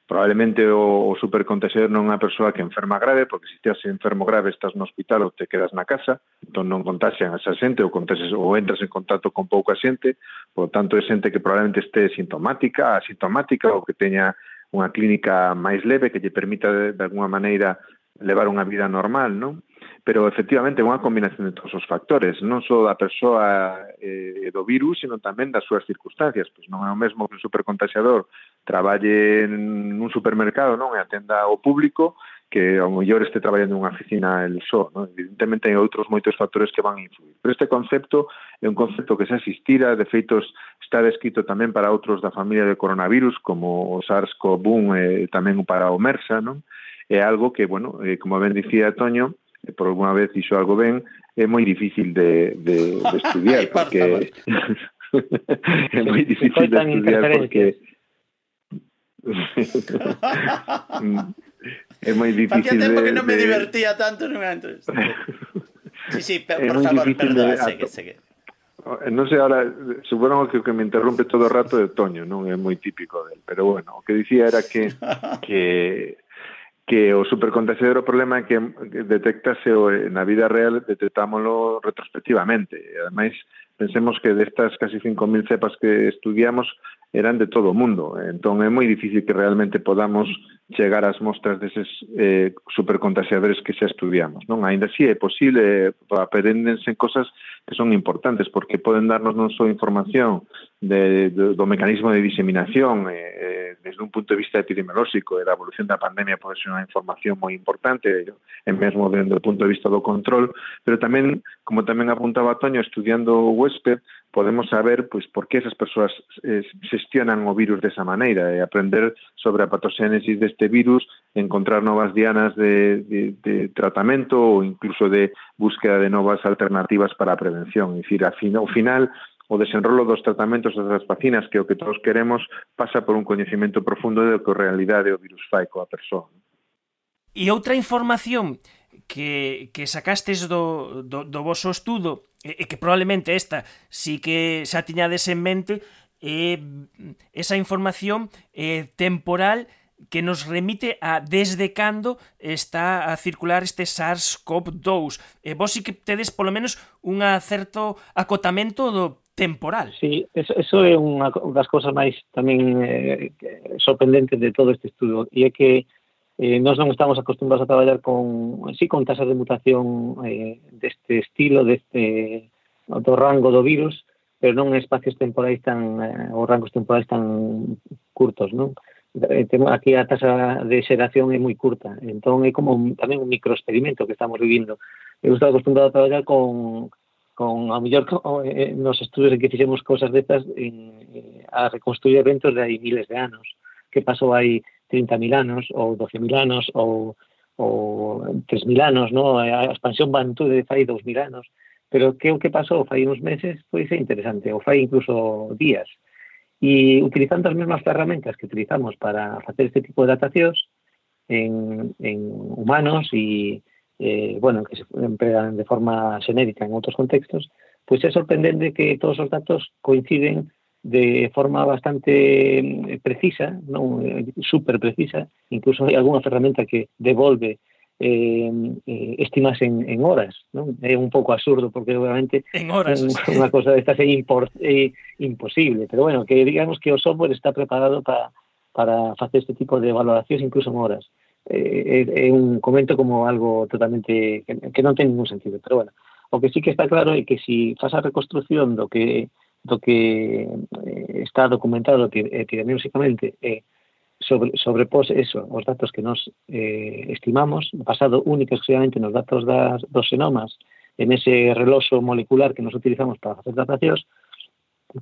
Probablemente o, o supercontaxiador non é unha persoa que enferma grave, porque se estás enfermo grave estás no hospital ou te quedas na casa, entón non contaxian a esa xente ou, contaxias, ou entras en contacto con pouca xente, por tanto é xente que probablemente este sintomática, asintomática ou que teña unha clínica máis leve que lle permita de, de alguna maneira levar unha vida normal, non? Pero efectivamente é unha combinación de todos os factores, non só da persoa e eh, do virus, sino tamén das súas circunstancias. Pois non é o mesmo que un supercontaxiador traballe nun supermercado, non, e atenda ao público, que ao mellor este traballando nunha oficina el só, non? Evidentemente hai outros moitos factores que van a influir. Pero este concepto é un concepto que se asistira, de feito está descrito tamén para outros da familia de coronavirus, como o SARS-CoV uno e tamén para o MERSA, non? É algo que, bueno, eh, como ben dicía Toño, por alguna vez iso algo ben, é moi difícil de, de, de estudiar, porque é moi difícil de estudiar porque é moi difícil de... Facía tempo que non me divertía tanto nunha entrevista. Sí, sí, por, por favor, perdón, segue, segue. Non sei, ahora, supoño que o que me interrompe todo o rato é Toño, non é moi típico del, pero bueno, o que dicía era que que que o supercontaxiador o problema é que detectase na vida real, detectámoslo retrospectivamente. E, ademais, pensemos que destas casi cinco mil cepas que estudiamos eran de todo o mundo. Entón, é moi difícil que realmente podamos chegar ás mostras deses eh, supercontaxiadores que xa estudiamos, non? Ainda así é posible, aprendense cosas que son importantes, porque poden darnos non só información de, de, do mecanismo de diseminación eh, desde un punto de vista epidemiolóxico e da evolución da pandemia pode ser unha información moi importante e mesmo desde o punto de vista do control, pero tamén, como tamén apuntaba Toño, estudiando o huésped, podemos saber pois por que esas persoas eh, xestionan o virus desa maneira e aprender sobre a patogénesis deste virus, encontrar novas dianas de, de, de tratamento ou incluso de búsqueda de novas alternativas para a prevención. É dicir, ao final, o desenrolo dos tratamentos das vacinas, que é o que todos queremos, pasa por un coñecemento profundo de que en realidade o virus fai coa persoa. E outra información que, que sacastes do, do, do voso estudo e, e que probablemente esta sí que xa tiñades en mente eh, esa información eh, temporal que nos remite a desde cando está a circular este SARS-CoV dous. E vos sí que tedes polo menos un certo acotamento do temporal. Sí, eso, eso é unha das cousas máis tamén eh, sorprendentes de todo este estudo, e é que Eh, nós non estamos acostumbrados a traballar con, sí, con tasas de mutación eh, deste estilo, deste do rango do virus, pero non en espacios temporais tan, eh, ou rangos temporais tan curtos, non? Eh, aquí a tasa de xeración é moi curta, entón é como un, tamén un microexperimento que estamos vivindo. Eu estou acostumbrado a traballar con, con a mellor, eh, nos estudos en que fixemos cosas destas en, eh, a reconstruir eventos de hai miles de anos, que pasou aí trinta mil anos, ou doce mil anos, ou, ou tres mil anos, ¿no? A expansión Bantú de fai dos mil anos. Pero que o que pasou fai uns meses, pois é interesante, ou fai incluso días. E utilizando as mesmas ferramentas que utilizamos para facer este tipo de datacións en, en humanos e, eh, bueno, que se empregan de forma xenérica en outros contextos, pois é sorprendente que todos os datos coinciden de forma bastante precisa, non super precisa, incluso hai algunha ferramenta que devolve eh, eh, estimas en, en horas, non? É un pouco absurdo porque obviamente en horas, un, unha cosa destas é, impor, é imposible, pero bueno, que digamos que o software está preparado para para facer este tipo de valoracións incluso en horas. Eh, é, é un comento como algo totalmente que, que non ten ningún sentido, pero bueno, o que sí que está claro é que si faz a reconstrucción do que do que eh, está documentado epidemiolóxicamente eh, sobre, sobrepós eso, os datos que nos eh, estimamos, basado única e exclusivamente nos datos das, dos xenomas, en ese reloxo molecular que nos utilizamos para facer datacións,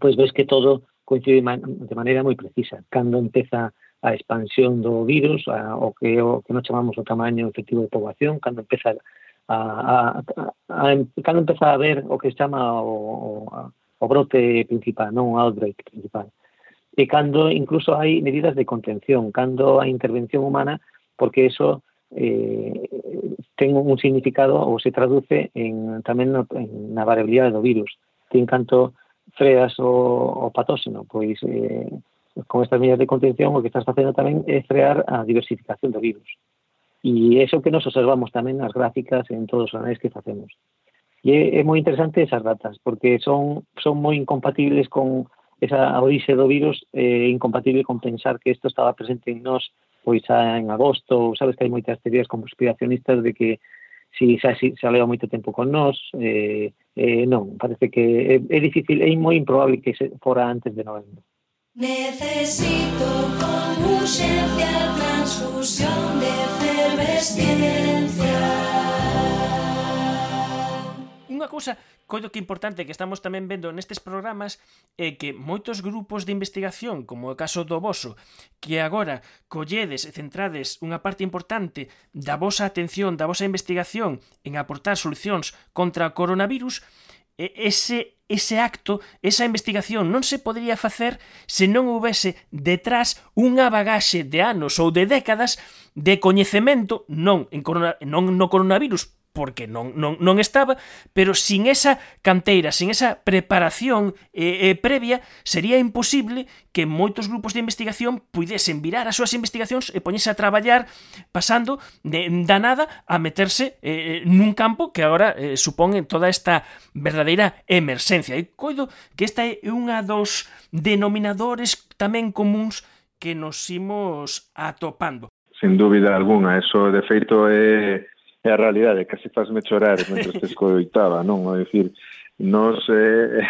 pois ves que todo coincide de maneira moi precisa. Cando empeza a expansión do virus, a, o que o que nos chamamos o tamaño efectivo de poboación, cando empeza a, a, a, a, a cando empeza a ver o que se chama o, o a, o brote principal, non o outbreak principal. E cando incluso hai medidas de contención, cando hai intervención humana, porque eso eh, ten un significado ou se traduce en, tamén no, en na variabilidade do virus. Ten canto freas o, o patóxeno, pois eh, con estas medidas de contención o que estás facendo tamén é frear a diversificación do virus. E é iso que nos observamos tamén nas gráficas en todos os análisis que facemos. E é, é moi interesante esas datas, porque son, son moi incompatibles con esa orixe do virus, é eh, incompatible con pensar que isto estaba presente en nós pois xa en agosto, sabes que hai moitas teorías conspiracionistas de que si xa, si, xa leva moito tempo con nós, eh, eh, non, parece que é, é difícil, é moi improbable que se fora antes de novembro. Necesito con urxencia transfusión de efervesciencia. Unha cousa, coido que importante que estamos tamén vendo nestes programas é que moitos grupos de investigación, como o caso do voso, que agora colledes e centrades unha parte importante da vosa atención, da vosa investigación en aportar solucións contra o coronavirus, ese, ese acto, esa investigación non se podería facer se non houvese detrás unha bagaxe de anos ou de décadas de coñecemento, non, en corona, non no coronavirus, porque non, non, non estaba, pero sin esa canteira, sin esa preparación eh, eh, previa, sería imposible que moitos grupos de investigación puidesen virar as súas investigacións e poñese a traballar pasando de, da nada a meterse eh, nun campo que agora eh, supón toda esta verdadeira emerxencia. E coido que esta é unha dos denominadores tamén comuns que nos imos atopando. Sin dúbida alguna, eso de feito é... é a realidade, casi fasme chorar mentre te escoitaba, non? É dicir, nos, eh,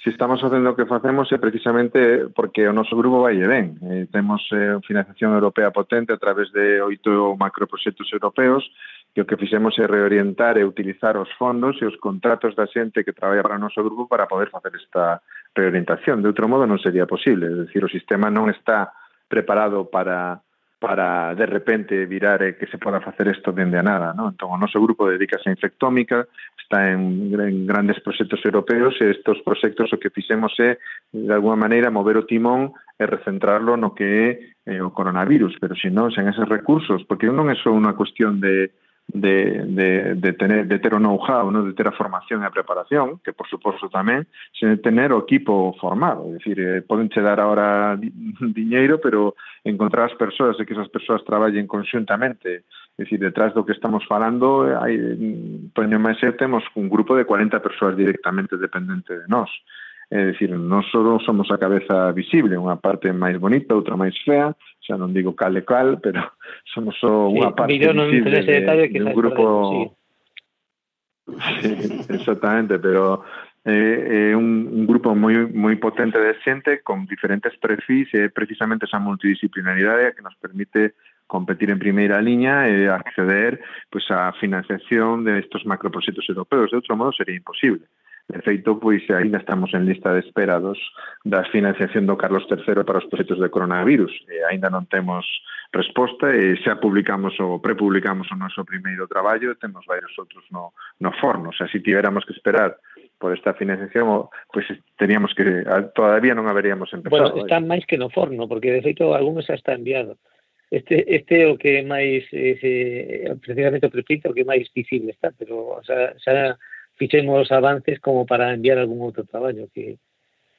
se estamos facendo o que facemos é precisamente porque o noso grupo vai e ben. Eh, temos eh, financiación europea potente a través de oito macroproxectos europeos, que o que fixemos é reorientar e utilizar os fondos e os contratos da xente que traballa para o noso grupo para poder facer esta reorientación. De outro modo non sería posible, é dicir, o sistema non está preparado para... para de repente virar e que se poda facer isto dende a nada, ¿no? Entón, o noso grupo dedícase a infectómica, está en, en grandes proxectos europeos e estes proxectos o que fixemos é, de alguma maneira, mover o timón e recentrarlo no que é eh, o coronavirus, pero se non, sen eses recursos, porque non é só unha cuestión de, de, de, de, tener, de ter o know-how, ¿no? De ter a formación e a preparación, que por suposto tamén, sen tener o equipo formado. É dicir, eh, poden che dar ahora di, diñeiro, pero encontrar as persoas e que esas persoas traballen conxuntamente. É dicir, detrás do que estamos falando, hai, Toño e máis eu temos un grupo de cuarenta persoas directamente dependente de nós. É dicir, non só somos a cabeza visible, unha parte máis bonita, outra máis fea, xa non digo cal e cal, pero somos só unha sí, parte visible de, de, de un grupo... Sí. Sí, exactamente, pero é eh, eh, un, un grupo moi moi potente de xente con diferentes perfis e precisamente esa multidisciplinaridade que nos permite competir en primeira liña e acceder pues, a financiación de estos macroproxectos europeos. De outro modo sería imposible. De feito, pois, ainda estamos en lista de espera dos, da financiación do Carlos terceiro para os proxectos de coronavirus. E ainda non temos resposta e xa publicamos ou prepublicamos o noso primeiro traballo, temos varios outros no, no forno. O sea, se tiveramos que esperar por esta financiación, pois teríamos que, todavía non haberíamos empezado. Bueno, está máis que no forno, porque de feito algún xa está enviado. Este este o que máis, eh, precisamente o prefeito, o que máis visible está, pero o sea, xa fixemos os avances como para enviar algún outro traballo que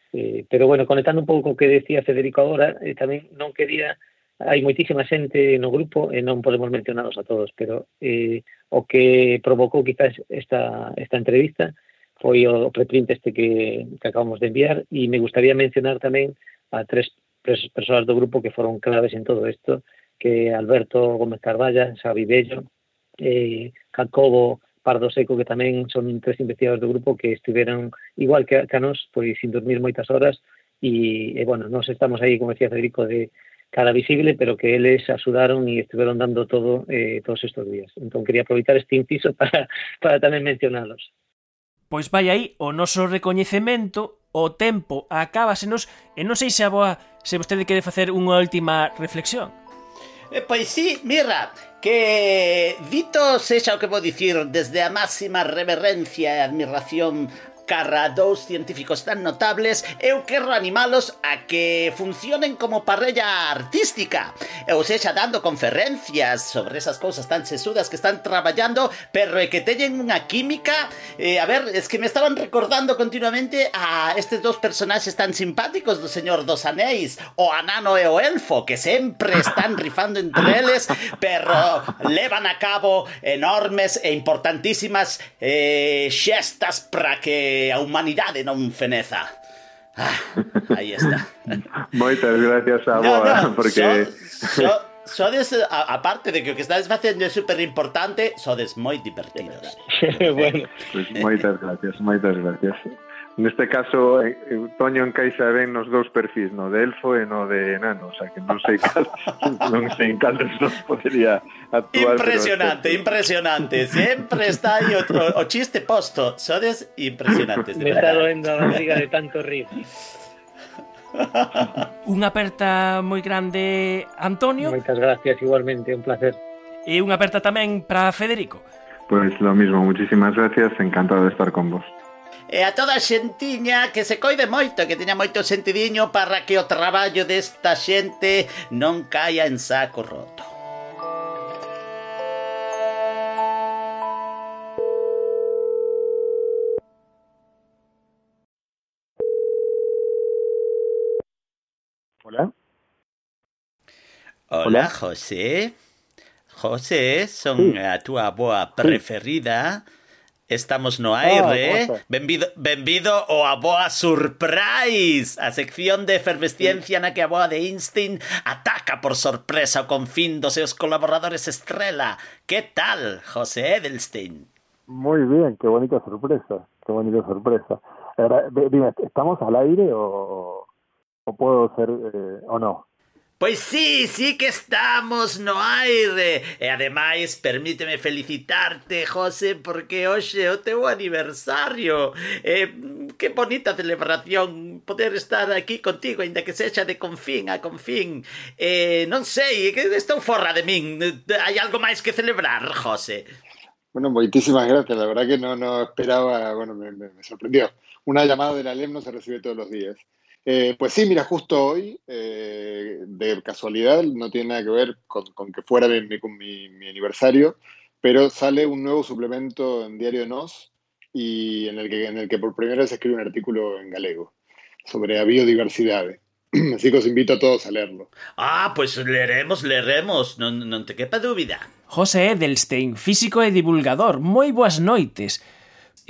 eh, pero bueno, conectando un pouco o que decía Federico agora, eh, tamén non quería, hai moitísima xente no grupo e non podemos mencionaros a todos, pero eh, o que provocou quizás esta esta entrevista foi o preprint este que, que acabamos de enviar, e me gustaría mencionar tamén a tres persoas do grupo que foron claves en todo isto, que Alberto Gómez Carballa, Xavi Bello, eh, Jacobo Pardo Seco, que tamén son tres investigadores do grupo que estiveron igual que, que a nos, pois sin dormir moitas horas e, e bueno, nos estamos aí, como decía Federico, de cara visible, pero que eles axudaron e estiveron dando todo eh, todos estes días. Entón quería aproveitar este inciso para, para tamén mencionalos. Pois vai aí o noso recoñecemento, o tempo acábasenos e non sei se a boa, se vostede quere facer unha última reflexión. Eh, pois sí, mira, que dito sexa o que vou dicir desde a máxima reverencia e admiración cara a dous científicos tan notables, eu quero animalos a que funcionen como parrella artística, ou sexa, dando conferencias sobre esas cousas tan sesudas que están traballando, pero é que teñen unha química, eh, a ver, es que me estaban recordando continuamente a estes dos personaxes tan simpáticos do Señor dos Anéis, o Anano e o Elfo, que sempre están rifando entre eles, pero levan a cabo enormes e importantísimas eh, xestas para que a humanidade non feneza. Ah, aí está. Moitas gracias a boa, no, no, porque... So, so, sodes, a, aparte de que o que estades facendo é super importante, sodes moi divertidos. Bueno. Pues moitas gracias, moitas gracias. Neste caso, eh, Toño encaixa ben nos dous perfis, no de elfo e no de enano, o sea que non sei cal, non sei en cal dos podería actuar. Impresionante, pero... impresionante. Sempre está aí o, o, o chiste posto. Sodes impresionantes. Me está doendo a barriga de tanto rir. Unha aperta moi grande, Antonio. Moitas gracias, igualmente, un placer. E unha aperta tamén para Federico. Pues lo mismo, muchísimas gracias, encantado de estar con vos. E a toda a xentiña que se coide moito, que teña moito sentidiño para que o traballo desta xente non caia en saco roto. Hola. Hola, Hola. José. José, son sí. a túa boa preferida. Estamos no aire. Oh, benvido, benvido ao A Boa Surprise, a sección de efervesciencia na que a Boa de Einstein ataca por sorpresa o confín dos seus colaboradores estrela. Que tal, José Edelstein? Muy bien, qué bonita sorpresa, qué bonita sorpresa. Ahora, dime, ¿estamos al aire o, o puedo ser eh, o no? Pois sí, sí que estamos no aire. E ademais, permíteme felicitarte, José, porque hoxe é o teu aniversario. Eh, que bonita celebración poder estar aquí contigo, ainda que sexa de confín a confín. Eh, non sei, que estou forra de min. Hai algo máis que celebrar, José? Bueno, moitísimas gracias. La verdad que no, no esperaba, bueno, me, me, me sorprendió. Una llamada de la L E M no se recibe todos los días. Eh, pues sí, mira, justo hoy, eh, de casualidad, no tiene nada que ver con, con que fuera mi, mi, mi aniversario, pero sale un nuevo suplemento en Diario de Nós y en el que, en el que por primera vez escribe un artículo en galego sobre a biodiversidade. Así que os invito a todos a leerlo. Ah, pues leeremos, leeremos, non, non te quepa dúbida. José Edelstein, físico e divulgador, moi boas noites.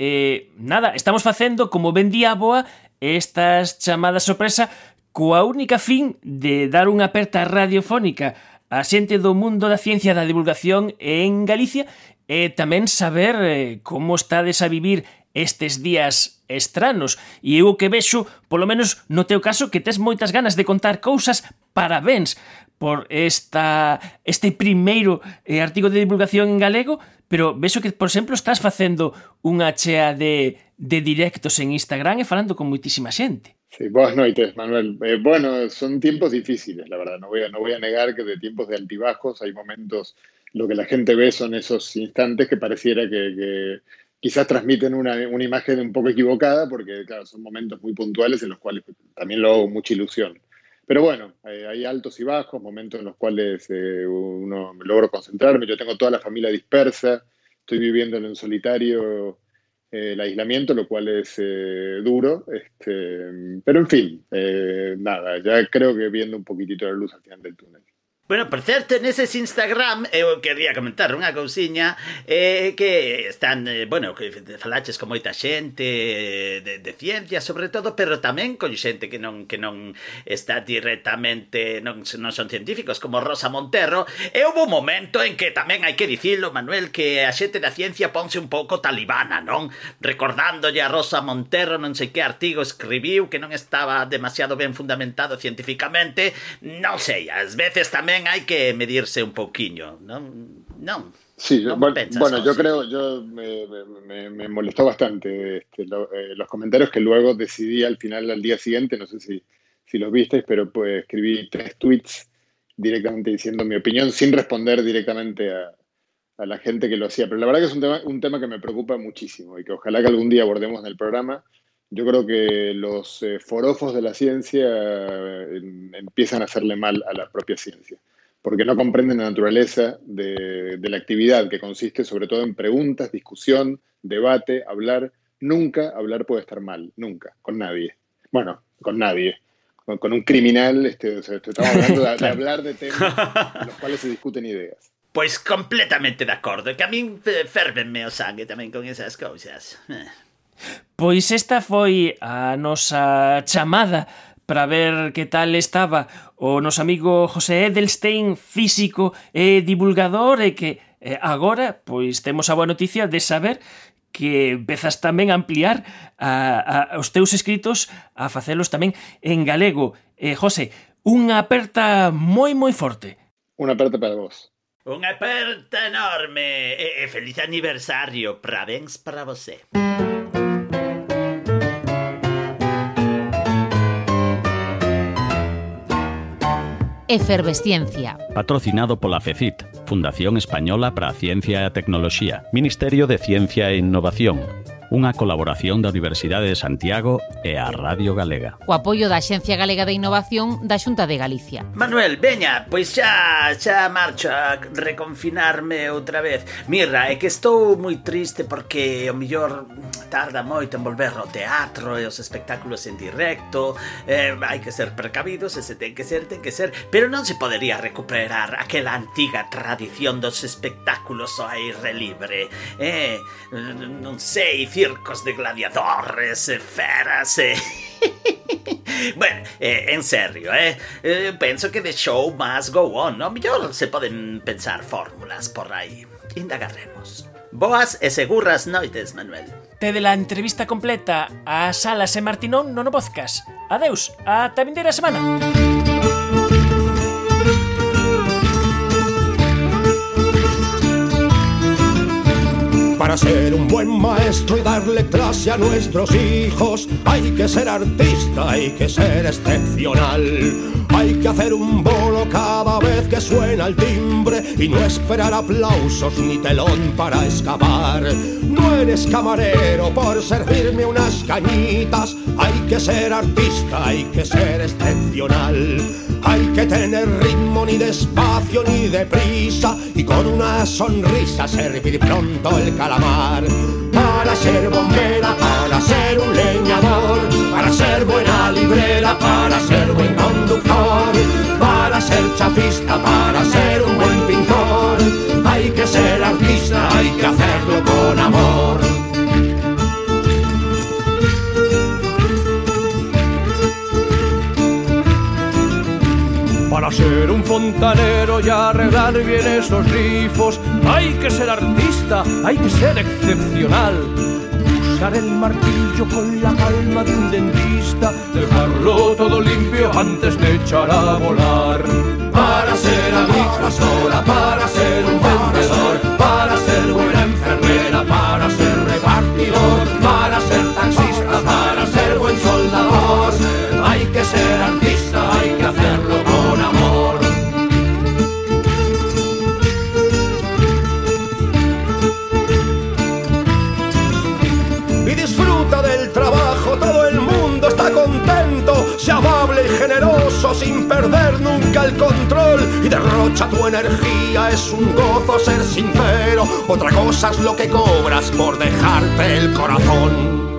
Eh, nada, estamos facendo, como ben di a boa, estas chamadas sorpresa coa única fin de dar unha aperta radiofónica a xente do mundo da ciencia e da divulgación en Galicia e tamén saber eh, como estades a vivir estes días estranos. E eu que vexo, polo menos no teu caso, que tes moitas ganas de contar cousas. Parabéns por esta, este primeiro eh, artigo de divulgación en galego, pero vexo que, por exemplo, estás facendo unha chea de, de directos en Instagram e falando con moitísima xente. Sí, boas noites, Manuel. Eh, bueno, son tiempos difíciles, la verdad. No voy, a, no voy a negar que de tiempos de altibajos hay momentos, lo que la gente ve son esos instantes que pareciera que... que quizás transmiten una, una imagen un poco equivocada, porque claro, son momentos muy puntuales en los cuales también lo hago mucha ilusión. Pero bueno, eh, hay altos y bajos, momentos en los cuales eh, uno logro concentrarme. Yo tengo toda la familia dispersa, estoy viviendo en solitario eh, el aislamiento, lo cual es eh, duro. Este, pero en fin, eh, nada, ya creo que viendo un poquitito la luz al final del túnel. Bueno, por certo, neses Instagram eu quería comentar unha cousiña eh, que están, eh, bueno, que falaches con moita xente de, de ciencia, sobre todo, pero tamén con xente que non que non está directamente, non, non son científicos, como Rosa Montero, e houve un momento en que tamén hai que dicilo, Manuel, que a xente da ciencia ponse un pouco talibana, non? Recordándolle a Rosa Montero non sei que artigo escribiu que non estaba demasiado ben fundamentado científicamente, non sei, ás veces tamén hai que medirse un pouquiño, non? Non. Sí, yo, bueno, pensas, bueno yo sí. creo, yo me, me, me molestó bastante este, lo, eh, los comentarios que luego decidí al final, al día siguiente, no sé si, si los visteis, pero pues escribí tres tweets directamente diciendo mi opinión sin responder directamente a, a la gente que lo hacía. Pero la verdad que es un tema, un tema que me preocupa muchísimo y que ojalá que algún día abordemos en el programa. Yo creo que los eh, forofos de la ciencia eh, empiezan a hacerle mal a la propia ciencia, porque no comprenden la naturaleza de, de la actividad, que consiste sobre todo en preguntas, discusión, debate, hablar. Nunca hablar puede estar mal, nunca, con nadie. Bueno, con nadie. Con, con un criminal, este, o sea, estamos hablando de, de hablar de temas en los cuales se discuten ideas. Pois completamente de acordo, que a min fervenme o sangue tamén con esas cousas. Pois esta foi a nosa chamada para ver que tal estaba o noso amigo José Edelstein, físico e divulgador, e que eh, agora pois temos a boa noticia de saber que empezas tamén a ampliar a, a, os teus escritos, a facelos tamén en galego. Eh, José, unha aperta moi moi forte. Unha aperta para vos. Unha aperta enorme e, e feliz aniversario, parabéns para você. Efervesciencia. Patrocinado pola FECIT, Fundación Española para a Ciencia e a Tecnoloxía, Ministerio de Ciencia e Innovación, unha colaboración da Universidade de Santiago e a Radio Galega. O apoio da Axencia Galega de Innovación da Xunta de Galicia. Manuel, veña, pois xa, xa marcho a reconfinarme outra vez. Mirra, é que estou moi triste porque o millor tarda moito en volver ao teatro e os espectáculos en directo. Eh, hai que ser precavidos, e se ten que ser, ten que ser, pero non se podería recuperar aquela antiga tradición dos espectáculos ao aire libre. Eh, non sei, circos de gladiadores, e feras, e... bueno, eh, en serio, eh? eh? Penso que the show must go on, no? Mellor se poden pensar fórmulas por aí. Indagaremos. Boas e seguras noites, Manuel. Tede la entrevista completa a Salas e Martinón no no podcast. Adeus, ata a vindeira semana. Para ser un buen maestro y darle clase a nuestros hijos, hay que ser artista, hay que ser excepcional. Hay que hacer un bolo cada vez que suena el timbre y no esperar aplausos ni telón para escapar. No eres camarero por servirme unas cañitas, hay que ser artista, hay que ser excepcional. Hay que tener ritmo ni despacio ni deprisa y con una sonrisa servir pronto el calamar. Para ser bombera, para ser un leñador, para ser buena librera, para ser buen conductor, para ser chapista, para ser un buen pintor. Hay que ser artista, hay que hacerlo con amor. Para ser un fontanero y arreglar bien esos grifos, hay que ser artista, hay que ser excepcional. Usar el martillo con la calma de un dentista, dejarlo todo limpio antes de echar a volar. Para ser agricultora, para ser un vendedor, para ser buena enfermera, para ser repartidor, para ser taxista, para ser buen soldador. Hay que ser artista, hay que hacerlo con amor. Y disfruta del trabajo, todo el mundo está contento. Sea amable y generoso sin perder nunca el control. Y derrocha tu energía, es un gozo ser sincero. Otra cosa es lo que cobras por dejarte el corazón.